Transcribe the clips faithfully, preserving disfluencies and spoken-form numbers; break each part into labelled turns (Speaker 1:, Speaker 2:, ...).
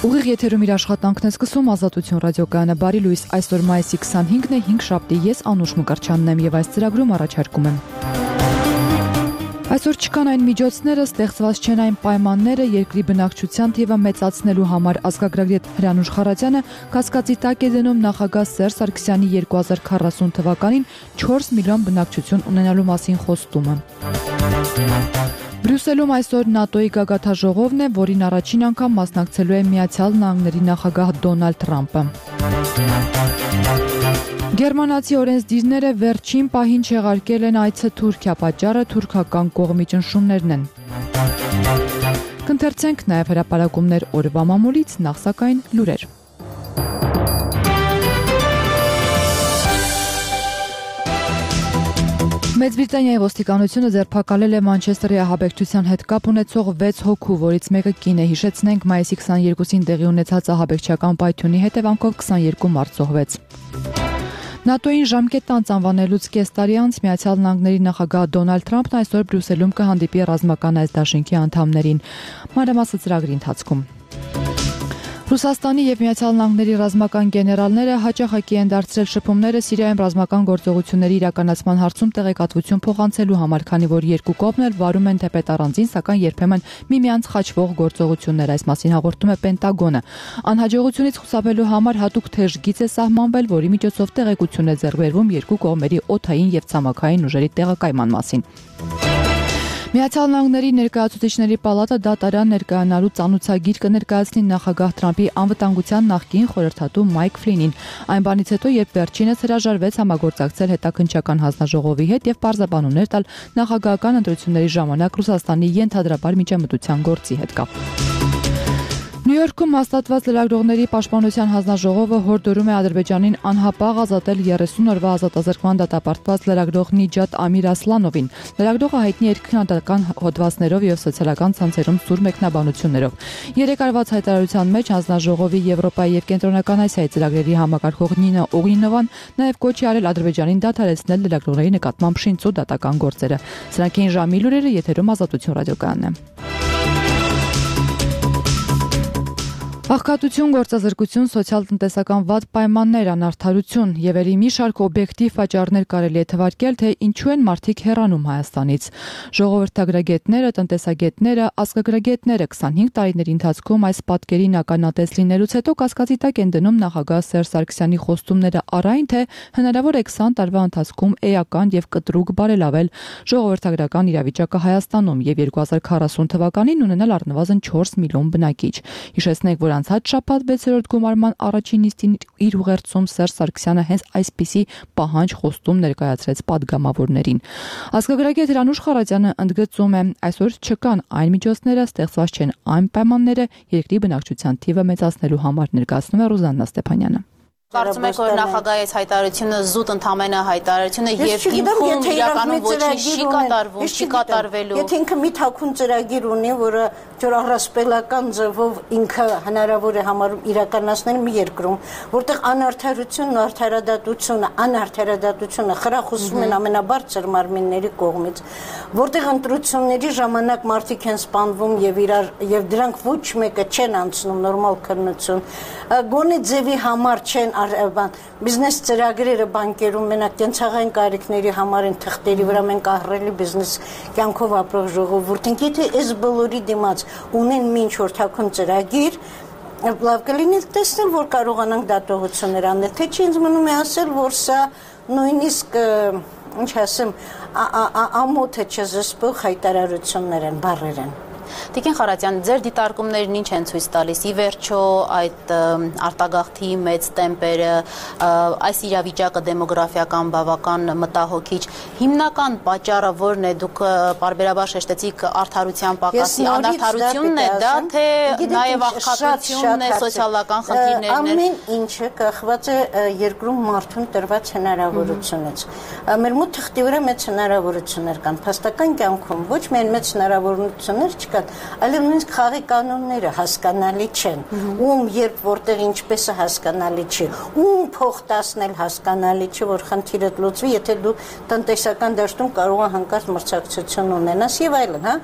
Speaker 1: Ուղիղ եթերում իր աշխատանքն է սկսում Ազատություն ռադիոկայանը բարի լույս այսօր մայիսի քսանհինգն է հինգշաբթի ես Անուշ Մկրտչյանն եմ եւ այս ծրագրում առաջարկում եմ Այսօր չկան այն միջոցները, ստեղծված չեն այն պայմանները երկրի բնակչության թիվը մեծացնելու համար ազգագրագետ Հրանուշ Խառատյանը կասկածի տակ է դնում նախագահ Սերժ Սարգսյանի երկու հազար քառասուն թվականին չորս միլիոն բնակչություն ունենալու մասին խոստումը Բրյուսելում այսօր ՆԱՏՕ-ի գագաթնաժողովն է, որին առաջին անգամ մասնակցելու է Միացյալ Նահանգների նախագահ Դոնալդ Թրամփը։ Գերմանացի օրենսդիրները վերջին պահին չեղարկել են այցը Թուրքիա, պատճառը թուրքական կողմի ճնշումներն են։ Կընթերցենք նաև հրապարակումներ օրվա մամուլից, նախ սակայն լուրեր։ Մեծ Բրիտանիայի ոստիկանությունը ձերբակալել է Մանչեսթերի ահաբեկչության հետ կապ ունեցող վեց հոգու, որից մեկը կին է։ Հիշեցնենք, մայիսի քսաներկուսին տեղի ունեցած ահաբեկչական պայթյունի հետևանքով քսաներկու մարդ զոհվեց։ ՆԱՏՕ-ին ժամկետ անց անվանելուց կես տարի անց Միացյալ Նահանգների նախագահ Դոնալդ Թրամփն այսօր Բրյուսելում կհանդիպի ռազմական այս դաշինքի անդամներին։ Մանրամասը ծրագրի ընթացքում։ Ռուսաստանի եւ Միացյալ Նահանգների ռազմական գեներալները հաճախակի են դարձրել շփումները Սիրիայում ռազմական գործողությունների իրականացման հարցում տեղեկատվություն փոխանցելու համար, քանի որ երկու կողմն էլ վարում են թեպետ առանձին, սակայն երբեմն միմյանց խաչվող գործողություններ, այս մասին հաղորդում է Պենտագոնը։ Անհաջողությունից խուսափելու համար հատուկ թեժ գիծ է սահմանվել, որի միջոցով տեղեկություն է ձեռք բերվում երկու կողմերի օդային եւ ցամաքային ուժերի տեղակայման մասին։ Միացյալ Նահանգների ներկայացուցիչների պալատը դատարան ներկայանալու ծանուցագիր կներկայացնի նախագահ Թրամփի անվտանգության նախկին խորհրդատու Մայք Ֆլինին։ Այն բանից հետո, երբ վերջինս հրաժարվեց համագործակցել հետաքննչական հանձնաժողովի հետ եւ պարզաբանումներ տալ նախագահական ընտրությունների ժամանակ Ռուսաստանի ենթադրաբար միջամտության գործի հետ կապ։ Նյու Յորքում հաստատված լրագրողների պաշտպանության հանձնաժողովը հորդորում է Ադրբեջանին անհապաղ ազատել երեսուն օրվա ազատազրկման դատապարտված լրագրող Նիջատ Ամիր Ասլանովին։ Լրագրողը հայտնի էր քննադատական հոդվածներով եւ սոցիալական ցանցերում սուր մեկնաբանություններով։ Երեք արված հայտարարության մեջ հանձնաժողովի Եվրոպայի եւ Կենտրոնական Ասիայի ծրագրերի համակարգող Նինա Օգինովան նաեւ կոչ է արել Ադրբեջանին դադարեցնել լրագրողների նկատմամբ շինծու դատական գործերը։ Սրանք էին ժամի լուրերը, եթերում Ազատություն ռադիոկայանն է։ Աղքատություն, գործազրկություն, սոցիալ-տնտեսական վատ պայմաններ, անարդարություն եւ ելի մի շարք օբյեկտիվ պատճառներ կարելի է թվարկել, թե ինչու են մարդիկ հեռանում Հայաստանից։ Ժողովրդագրագետները, տնտեսագետները, ազգագրագետները քսանհինգ տարիների ընթացքում այս պատկերին ականատես լինելուց հետո կասկածի տակ են դնում նախագահ Սերժ Սարգսյանի խոստումները առայն, թե հնարավոր է քսան տարվա ընթացքում էական եւ կտրուկ բարելավել ժողովրդագրական իրավիճակը Հայաստանում եւ երկու հազար քառասուն թվականին ունենալ առնվազն չորս միլիոն բնակիչ։ Հիշեցնենք, որ անցած շաբաթ վեցերորդ գումարման առաջին նիստին իր ուղերձում Սերժ Սարգսյանը հենց այսպիսի պահանջ խոստում ներկայացրեց падգամավորներին։ Ազգագրագետ Հրանուշ Խառատյանը ընդգծում է, այսօր չկան այն միջոցները, ստեղծված չեն այն պայմանները երկրի բնակչության թիվը մեծացնելու համար, ներկայացնում է Ռուզաննա Ստեփանյանը։
Speaker 2: Կարծում եք, որ նախագահի հայտարարությունը զուտ ընդամենը հայտարարություն է եւ հիմքում իրականում ոչինչ չի կատարվում, չի կատարվելու։
Speaker 3: Եթե ինքը մի թաքուն ծրագիր ունի, որը ճորահրասպելական ձևով ինքը հնարավոր է համարում իրականացնել մի երկրում, որտեղ անարդարությունն ու արդարադատությունը, անարդարադատությունը խրախուսվում են ամենաբարձր մարմինների կողմից, որտեղ ընտրությունների ժամանակ մարդիկ են սպանվում եւ իրար եւ դրանք ոչ մեկը չեն անցնում նորմալ քննություն, գոնե ձևի համար չեն բիզնես ծրագրերը բանկերում մենակ կենցաղային կարիքների համար են թղթերի վրա մենք ահռելի բիզնես կյանքով ապրող ժողովուրդին, եթե այս բոլորի դիմաց ունեն մինչ որ թաքուն ծրագիր, լավ կլինի տեսնել, որ կարողանանք դատողություններ անել, թե չի ինձ մնում է ասել, որ սա նույնիսկ, ինչ ասեմ, ամոթը չզսպող հայտարարություններ են, բառեր են։
Speaker 2: Տիկին Խառատյան, ձեր դիտարկումներն ինչ են ցույց տալիս։ Ի վերջո այդ արտագաղթի մեծ տեմպերը, այս իրավիճակը դեմոգրաֆիական բավական մտահոգիչ, հիմնական պատճառը որն է, դուք պարբերաբար շեշտեցիք արդարության պակասի, անարդարությունն է դա, թե նաև աղքատությունն է, սոցիալական խնդիրներն են։
Speaker 3: Ամեն ինչը կախված է երկրում մարդուն տրված հնարավորությունից։ Մեր մոտ թղթի վրա մեծ հնարավորություններ կան, փաստական կյանքում ոչ միայն մեծ հնարավորություններ չկան, այլև նույնիսկ խաղի կանոնները հասկանալի չեն, ում երբ որտեղ ինչպես է հասկանալի չի, ում փող տասնել հասկանալի չի, որ խնդիրը լուծվի, եթե դու տնտեսական դաշտում կարող ես հանկարծ մրցակցություն ունենաս եւ այլն, հա,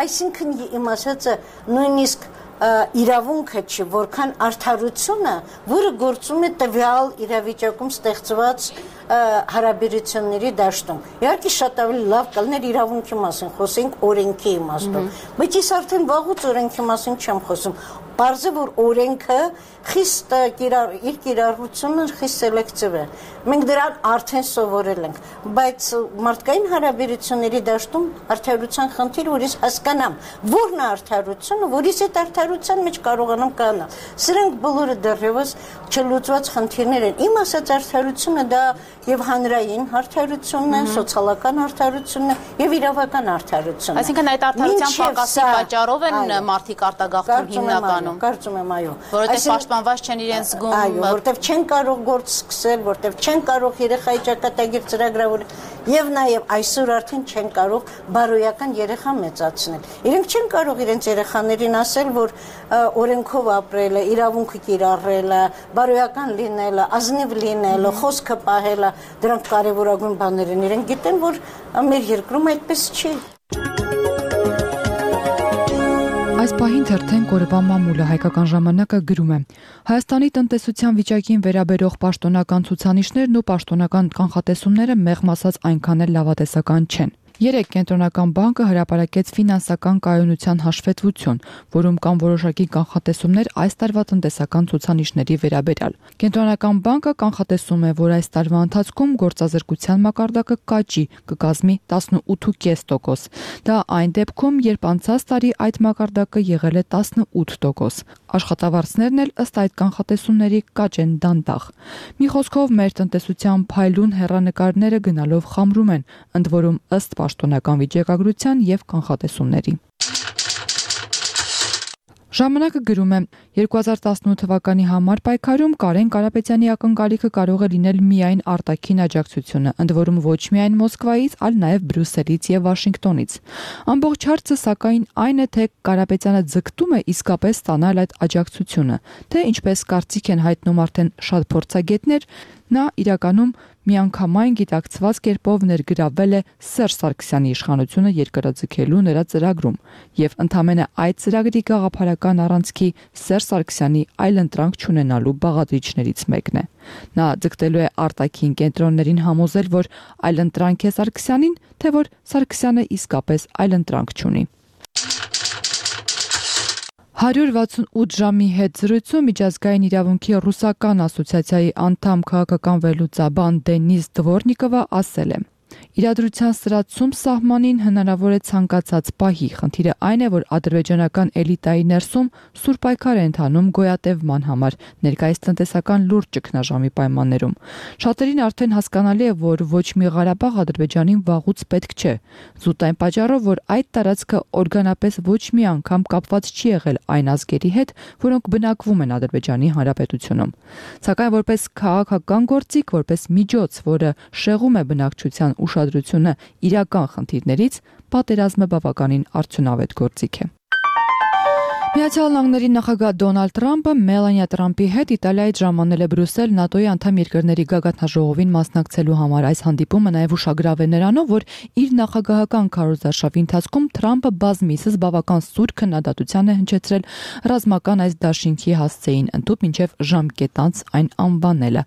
Speaker 3: այսինքն իմ ասածը նույնիսկ իրավունքը չի, որքան արդարությունը, որը գործում է տվյալ իրավիճակում ստեղծված հարաբերությունների դաշտում։ Իհարկե շատ ավելի լավ կլներ իրավունքի մասին խոսենք օրենքի իմաստով, բայց ես արդեն վաղուց օրենքի մասին չեմ խոսում։ Պարզ է, որ օրենքը խիստ իր կիրառությունը խիստ սելեկտիվ է։ Մենք դրան արդեն սովորել ենք, բայց մարդկային հարաբերությունների դաշտում արդարության խնդիր, որ ես հասկանամ, որն է արդարությունը, որից այդ արդարության մեջ կարողանամ կանալ։ Սրանք բոլորը դեռևս չլուծված խնդիրներ են։ Իմ ասած արդարությունը դա եւ հանրային արդարությունն է, սոցիալական արդարությունն է եւ իրավական արդարությունն է։
Speaker 2: Այսինքն այդ արդարության պակասի պատճառով են մարդիկ արտագաղթում հիմնականում։
Speaker 3: Կարծում եմ, այո։
Speaker 2: Որովհետեւ պաշտպանված չեն իրենց զգում։
Speaker 3: Այո, որովհետեւ չեն կարող գործ սկսել, որովհետեւ չեն կարող երեխայի ճակատագիր ծրագրավորել եւ նաեւ այսօր արդեն չեն կարող բարոյական երեխա մեծացնել։ Իրենք չեն կարող իրենց երեխաներին ասել, որ օրենքով ապրելը, իրավունքը կիրառելը, բարոյական լինելը, ազնիվ լինելը, խոսքը պահելը, դրանք կարևորագույն բաներ են։ Իրենք գիտեն, որ մեր երկրում այդպես չի։
Speaker 1: Այս պահին թերթեն Կորվա մամուլը հայկական ժամանակը գրում է. Հայաստանի տնտեսության վիճակին վերաբերող պաշտոնական ցուցանիշներն ու պաշտոնական կանխատեսումները մեղմ ասած այնքան էլ լավատեսական չեն։ Երեկ Կենտրոնական բանկը հրապարակեց ֆինանսական կայունության հաշվետվություն, որում կան որոշակի կանխատեսումներ այս տարվա տնտեսական ցուցանիշների վերաբերյալ։ Կենտրոնական բանկը կանխատեսում է, որ այս տարվա ընթացքում գործազրկության մակարդակը կաճի, կկազմի տասնութ կόμμα պենս տոկոս։ Դա այն դեպքում, երբ անցած տարի այդ մակարդակը եղել է տասնութ տոկոս։ Աշխատավարձներն էլ ըստ այդ կանխատեսումների կաճ են դանդաղ։ Մի խոսքով մեր տնտեսության փայլուն հեռանկարները գնալով խամրում են, ընդ որում ըստ պաշտոնական վիճակագրության եւ կանխատեսումների։ Ժամանակը գրում է. երկու հազար տասնութ թվականի համար պայքարում Կարեն Կարապետյանի ակնկալիքը կարող է լինել միայն արտաքին աջակցությունը, ընդ որում ոչ միայն Մոսկվայից, այլ նաև Բրյուսելից եւ Վաշինգտոնից։ Ամբողջ հարցը սակայն այն է, թե Կարապետյանը ձգտում է իսկապես ստանալ այդ աջակցությունը, թե ինչպես կարծիք են հայտնում արդեն շատ փորձագետներ, նա իրականում միանգամայն գիտակցված կերպով ներգրավել է Սերժ Սարգսյանի իշխանությունը երկարաձգելու նրա ծրագրում եւ ընդամենը այդ ծրագրի գաղափարական առանցքի Սերժ Սարգսյանի այլընտրանք չունենալու բաղադրիչներից մեկն է։ Նա ձգտելու է արտաքին կենտրոններին համոզել, որ այլընտրանք է Սարգսյանին, թե որ Սարգսյանը իսկապես այլընտրանք չունի։ հարյուր վաթսունութ ժամի հետ զրույցում միջազգային իրավունքի ռուսական ասոցիացիայի անդամ քաղաքական վերլուծաբան Դենիս Դվորնիկովը ասել է. Իրադրության սրացում սահմանին հնարավոր է ցանկացած պահի։ Խնդիրը այն է, որ ադրբեջանական էլիտայի ներսում սուր պայքար է ընթանում գոյատևման համար, ներկայիս տնտեսական լուրջ ճգնաժամի պայմաններում։ Շատերին արդեն հասկանալի է, որ ոչ մի Ղարաբաղ Ադրբեջանին վաղուց պետք չէ։ Զուտ այն պատճառով, որ այդ տարածքը օրգանապես ոչ մի անգամ կապված չի եղել այն ազգերի հետ, որոնք բնակվում են Ադրբեջանի Հանրապետությունում։ Սակայն որպես քաղաքական գործիք, որպես միջոց, որը շեղում է բնակչության ուշադրությունը իրական խնդիրներից, պատերազմը բավականին արդյունավետ գործիք է։ Միացյալ Նահանգների նախագահ Դոնալդ Թրամփը Մելանիա Թրամփի հետ Իտալիայից ժամանել է Բրյուսել ՆԱՏՕ-ի անդամ երկրների գագաթնաժողովին մասնակցելու համար։ Այս հանդիպումը նաև ուշագրավ է նրանով, որ իր նախագահական քարոզարշավի ընթացքում Թրամփը բազմիցս բավական սուր քննադատության է հնչեցրել ռազմական այս դաշինքի հասցեին, ընդհուպ մինչև ժամկետ անց այն անվանելը։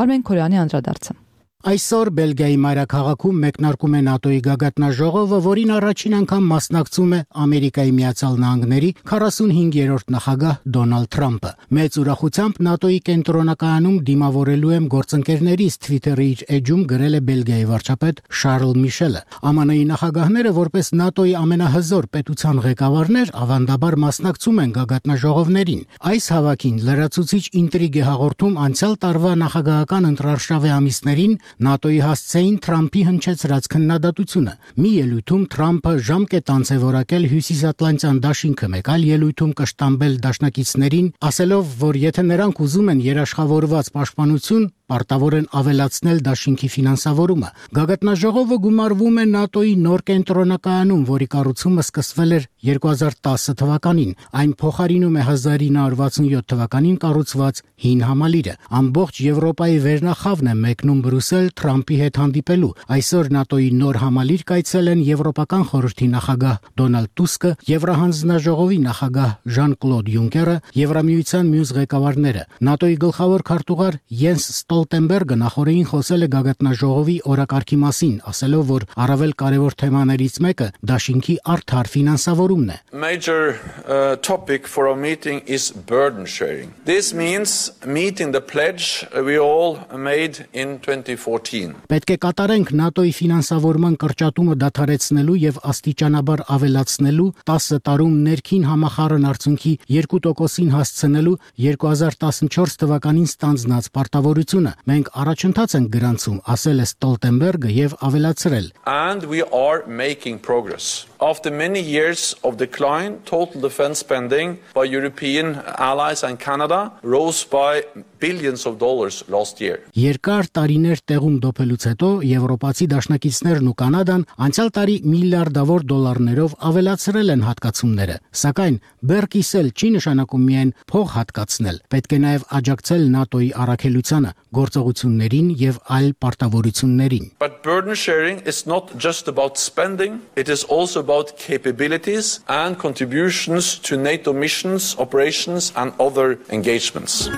Speaker 1: Արմեն Քորյանի անդրադարձը։
Speaker 4: Այսօր Բելգիայի մայրաքաղաքում մեկնարկում է ՆԱՏՕ-ի գագաթնաժողովը, որին առաջին անգամ մասնակցում է Ամերիկայի Միացյալ Նահանգների քառասունհինգերորդ նախագահ Դոնալդ Թրամփը։ Մեծ ուրախությամբ ՆԱՏՕ-ի կենտրոնակայանում դիմավորելու եմ գործընկերներիս Twitter-ի իր էջում գրել է Բելգիայի վարչապետ Շարլ Միշելը։ ԱՄՆ-ի նախագահները, որպես ՆԱՏՕ-ի ամենահզոր պետության ղեկավարներ, ավանդաբար մասնակցում են գագաթնաժողովներին։ Այս հավաքին լրացուցիչ ինտրիգ է հաղորդում անցյալ տարվա նախագահական ընտրարշավի ամիսներին ՆԱՏՕ-ի հասցեին Թրամփի հնչեցրած քննադատությունը։ Մի ելույթում Թրամփը ժամկետ անց է որակել Հյուսիսատլանտյան դաշինքը, մեկ այլ ելույթում կշտամբել դաշնակիցներին, ասելով, որ եթե նրանք ուզում են երաշխավորված պաշտպանություն, պարտավոր են ավելացնել դաշինքի ֆինանսավորումը։ Գագաթնաժողովը գումարվում է ՆԱՏՕ-ի նոր կենտրոնակայանում, որի կառուցումը սկսվել էր երկու հազար տասը թվականին։ Այն փոխարինում է հազար ինը հարյուր վաթսունյոթ թվականին կառուցված հին համալիրը։ Ամբողջ Եվրոպայի վերնախավն է մեկնում Բրյուսել Թրամփի հետ հանդիպելու։ Այսօր ՆԱՏՕ-ի նոր համալիր կայցել են Եվրոպական խորհրդի նախագահ Դոնալդ Տուսկը, Եվրահանձնաժողովի նախագահ Ժան-Կլոդ Յունկերը, Եվրամիության մյուս ղեկավարները։ ՆԱՏՕ-ի գլխավոր քարտուղար Յենս Ստոլտենբերգը նախորդին խոսել է գագաթնաժողովի օրակարգի մասին, ասելով, որ առավել կարևոր թեմաներից մեկը դաշինքի արդար ֆինանսավորումն է։
Speaker 5: Major uh, topic for our meeting is burden sharing. This means meeting the pledge we all made in twenty fourteen.
Speaker 4: Պետք է կատարենք ՆԱՏՕ-ի ֆինանսավորման կրճատումը դադարեցնելու եւ աստիճանաբար ավելացնելու, տասը տարում ներքին համախառն արդյունքի երկու տոկոսին հասցնելու երկու հազար տասնչորս թվականին ստանձնած պարտավորությունը։ Մենք առաջընթաց ենք գրանցում, ասել է Ստոլտենբերգը եւ ավելացրել.
Speaker 5: And we are making progress. After many years of decline, total defense spending by European allies and Canada rose by billions of dollars last year.
Speaker 4: Երկար տարիներ տեղում դոփելուց հետո եվրոպացի դաշնակիցներն ու Կանադան անցյալ տարի միլիարդավոր դոլարներով ավելացրել են հատկացումները, սակայն բերկիսել չի նշանակում միայն փող հատկացնել, պետք է նաև աջակցել ՆԱՏՕ-ի առաքելությանը, գործողություններին եւ այլ պարտավորություններին.
Speaker 5: But burden sharing is not just about spending, it is also about capabilities and contributions to NATO missions, operations and other engagements.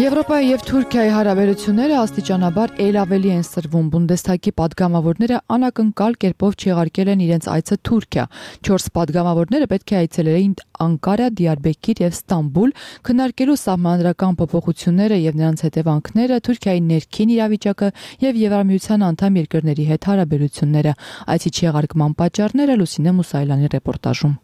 Speaker 1: Եվրոպայի եւ Թուրքիայի հարաբերությունները աստիճանաբար ել ավելի են սրվում։ Բունդեսթագի падգամավորները անակնկալ կերպով չեղարկել են իրենց այցը Թուրքիա։ Չորս падգամավորները պետք է այցելեին Անկարա, Դիարբեկիր եւ Ստամբուլ, քննարկելու սահմանադրական փոփոխությունները եւ նրանց հետևանքները, Թուրքիայի ներքին իրավիճակը եւ Եվրամիության անդամ երկրների հետ հարաբերությունները։ Այցի չեղարկման պատճառները Լուսինե Մուսայելյանի ռեպորտաժում։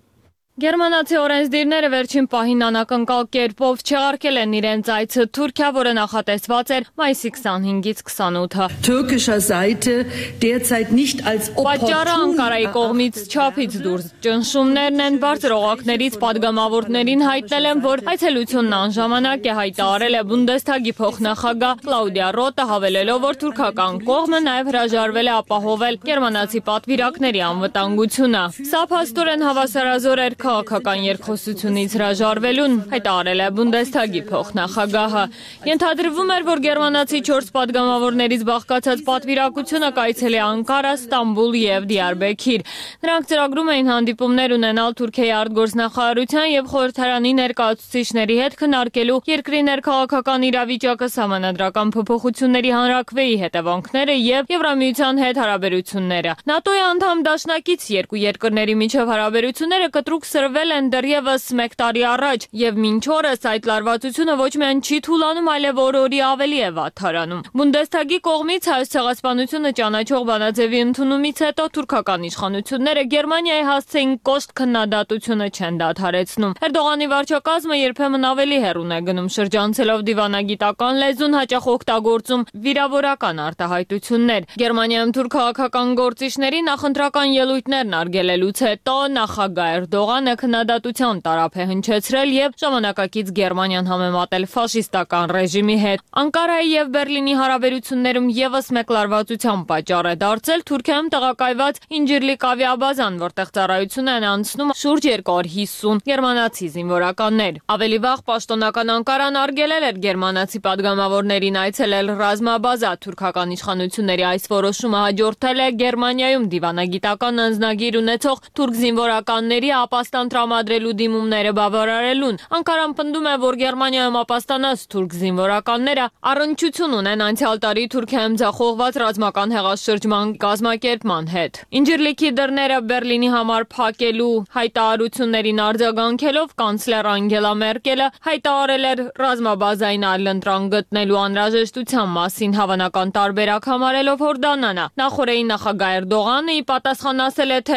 Speaker 6: Գերմանացի օրենսդիրները վերջին պահին անակնկալ կերպով չեղարկել են իրենց այցը Թուրքիա, որը նախատեսված էր մայիսի քսանհինգից քսանութը։
Speaker 7: Türkischer Seite derzeit nicht als
Speaker 6: Պատճառը Անկարայի կողմից չափից դուրս ճնշումներն են, բարձր օղակներից падգամավորներին հայտնել են, որ այցելությունն անժամանակ է, հայտարարել է Բունդեսթագի փոխնախագահ Կլաուդիա Ռոտը, հավելելով, որ թուրքական կողմը նաև հրաժարվել է ապահովել գերմանացի պատվիրակների անվտանգությունը։ Սա փաստորեն հավասարազոր էր քաղաքական երկխոսությունից հրաժարվելուն, հայտարարել է Բունդեսթագի փոխնախագահը։ Ենթադրվում էր, որ գերմանացի չորս падգամավորներից բաղկացած պատվիրակությունը կայցելի Անկարա, Ստամբուլ եւ Դիարբեկիր։ Նրանք ծրագրում էին հանդիպումներ ունենալ Թուրքիայի արտգործնախարարության եւ խորհրդարանի ներկայացուցիչների հետ քննարկելու երկրի ներքաղաքական իրավիճակը, սահմանադրական փոփոխությունների հանրաքվեի հետևանքները եւ Եվրամիության հետ հարաբերությունները։ ՆԱՏՕ-ի անդամ դաշնակից երկու երկրների միջև հարաբերությունները կտրուկ սրվել են դեռևս մեկ տարի առաջ եւ մինչ օրս այդ լարվածությունը ոչ միայն չի թուլանում, այլև օր-օրի ավելի է վատթարանում։ Բունդեսթագի կողմից հայոց ցեղասպանությունը ճանաչող բանաձևի ընդունումից հետո թուրքական իշխանությունները Գերմանիայի հասցեին կոշտ քննադատությունը չեն դադարեցնում։ Էրդողանի վարչակազմը երբեմն ավելի հեռուն է գնում, շրջանցելով դիվանագիտական լեզուն, հաճախ օգտագործում վիրավորական արտահայտություններ։ Գերմանիայում թուրք քաղաքական գործիչների նախընտրական ելույթներն արգելելուց հետո նախագահ Էրդողանը քննադատության տարափ է հնչեցրել եւ ժամանակակից Գերմանիան համեմատել ֆաշիստական ռեժիմի հետ։ Անկարայի եւ Բերլինի հարաբերություններում եւս մեկ լարվածության պատճառ է դարձել Թուրքիայում տեղակայված Ինջիրլիկ ավիաբազան, որտեղ ծառայություն են անցնում շուրջ երկու հիսուն գերմանացի զինվորականներ։ Ավելի վաղ պաշտոնական Անկարան արգելել էր գերմանացի падգամավորներին այցելել ռազմաբազա։ Թուրքական իշխանությունների այս որոշումը հաջորդել է Գերմանիայում դիվանագիտական անձնագիր ունեցող թուրք զինվորականների ապաստան տրամադրելու դիմումները բավարարելուն։ Անկարան պնդում է, որ Գերմանիայում ապաստանած թուրք զինվորականները առնչություն ունեն անցյալ տարի Թուրքիայում ձախողված ռազմական հեղաշրջման կազմակերպման հետ։ Ինջիրլիկի դռները Բերլինի համար փակելու հայտարարություններին արձագանքելով կանցլեր Անգելա Մերկելը հայտարարել էր ռազմաբազային այլընտրանք գտնելու անհրաժեշտության մասին, հավանական տարբերակ համարելով Հորդանանը։ Նախորդին նախագահ Էրդողանը ի պատասխան ասել է, թե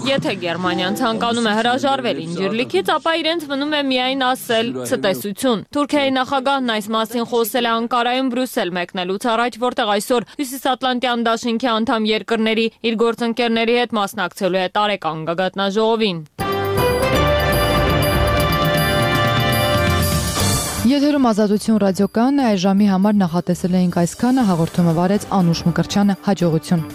Speaker 6: Եթե Գերմանիան ցանկանում է հրաժարվել Ինջիրլիկից, ապա իրենց մնում է միայն ասել ցտեսություն։ Թուրքիայի նախագահն այս մասին խոսել է Անկարայում Բրյուսել մեկնելուց առաջ, որտեղ այսօր Հյուսիսատլանտյան դաշինքի անդամ երկրների իր գործընկերների հետ մասնակցելու է տարեկան գագաթնաժողովին։
Speaker 1: Եթերում Ազատություն ռադիոկայանն է, այս ժամի համար նախատեսել էինք այսքանը, հաղորդումը վարեց Անուշ Մկրտչյանը, հաջողություն։